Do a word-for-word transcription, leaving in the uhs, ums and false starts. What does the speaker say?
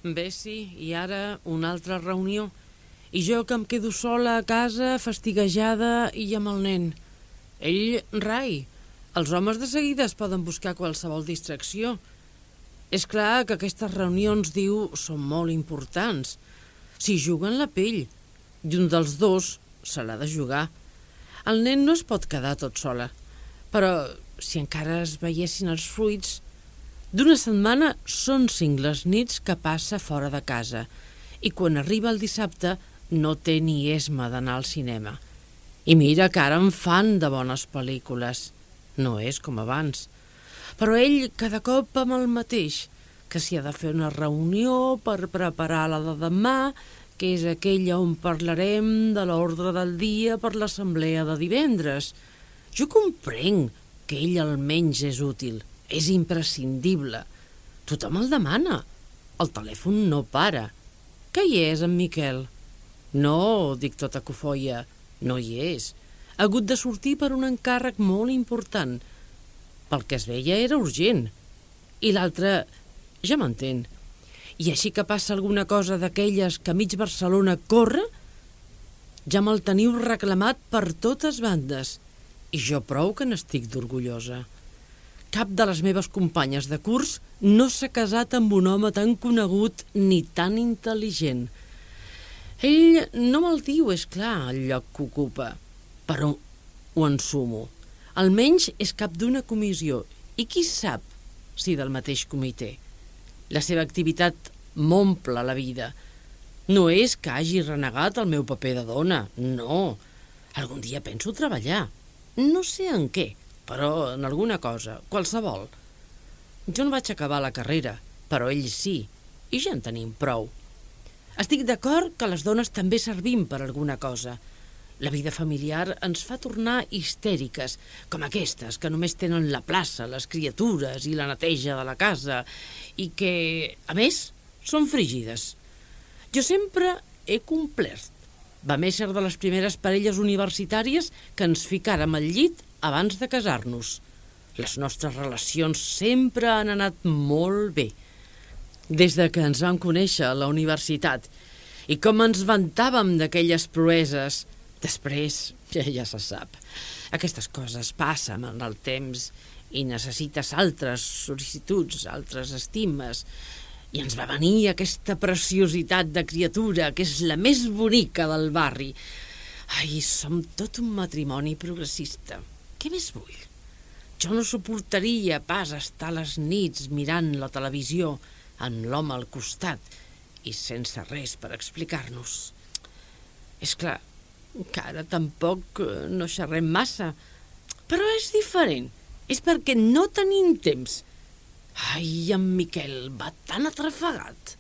Bé, sí, i ara una altra reunió. I jo que em quedo sola a casa, fastiguejada i amb el nen. Ell, rai. Els homes de seguida es poden buscar qualsevol distracció. És clar que aquestes reunions, diu, són molt importants. S'hi juguen la pell. I un dels dos se l'ha de jugar. El nen no es pot quedar tot sola. Però si encara es veiessin els fruits... D'una setmana són cinc les nits que passa fora de casa i quan arriba el dissabte no té ni esma d'anar al cinema. I mira que ara en fan de bones pel·lícules. No és com abans. Però ell cada cop amb el mateix, que s'hi ha de fer una reunió per preparar la de demà, que és aquella on parlarem de l'ordre del dia per l'assemblea de divendres. Jo comprenc que ell almenys és útil. És imprescindible. Tothom el demana. El telèfon no para. Què hi és, en Miquel? No, dic tota cofoia, no hi és. Ha hagut de sortir per un encàrrec molt important. Pel que es veia era urgent. I l'altre, ja m'entén. I així que passa alguna cosa d'aquelles que mig Barcelona corre, ja me'l teniu reclamat per totes bandes. I jo prou que n'estic d'orgullosa. Cap de les meves companyes de curs no s'ha casat amb un home tan conegut ni tan intel·ligent. Ell no me'l diu, és clar, el lloc que ocupa, però ho ensumo. Almenys és cap d'una comissió, i qui sap si del mateix comitè. La seva activitat m'omple la vida. No és que hagi renegat el meu paper de dona, no. Algun dia penso treballar. No sé en què, però en alguna cosa, qualsevol. Jo no vaig acabar la carrera, però ell sí, i ja en tenim prou. Estic d'acord que les dones també servim per alguna cosa. La vida familiar ens fa tornar histèriques, com aquestes que només tenen la plaça, les criatures i la neteja de la casa, i que, a més, són frígides. Jo sempre he complert. Vam ésser de les primeres parelles universitàries que ens ficàrem al llit abans de casar-nos. Les nostres relacions sempre han anat molt bé. Des de que ens vam conèixer a la universitat i com ens vantàvem d'aquelles proeses, després ja, ja se sap. Aquestes coses passen en el temps i necessites altres sol·licituds, altres estimes. I ens va venir aquesta preciositat de criatura que és la més bonica del barri. Ai, som tot un matrimoni progressista. Què més vull? Jo no suportaria pas estar a les nits mirant la televisió amb l'home al costat i sense res per explicar-nos. És clar que ara tampoc no xerrem massa, però és diferent. És perquè no tenim temps. Ai, en Miquel va tan atrafegat.